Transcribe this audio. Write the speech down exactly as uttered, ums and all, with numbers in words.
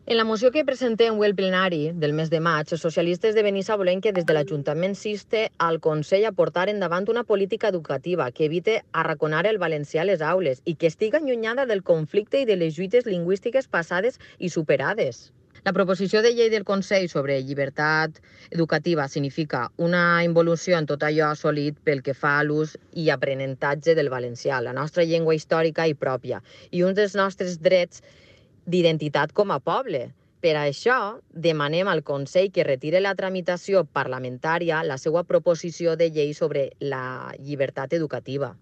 En la moció que presentem avui al plenari del mes de maig, els socialistes de Benissa volem que des de l'Ajuntament s'inste al Consell a portar endavant una política educativa que evite arraconar el valencià a les aules i que estiga allunyada del conflicte i de les lluites lingüístiques passades i superades. La proposició de llei del Consell sobre llibertat educativa significa una involució en tot allò assolit pel que fa a l'ús i aprenentatge del valencià, la nostra llengua històrica i pròpia, i un dels nostres drets d'identitat com a poble. Per això, demanem al Consell que retire la tramitació parlamentària la seva proposició de llei sobre la llibertat educativa.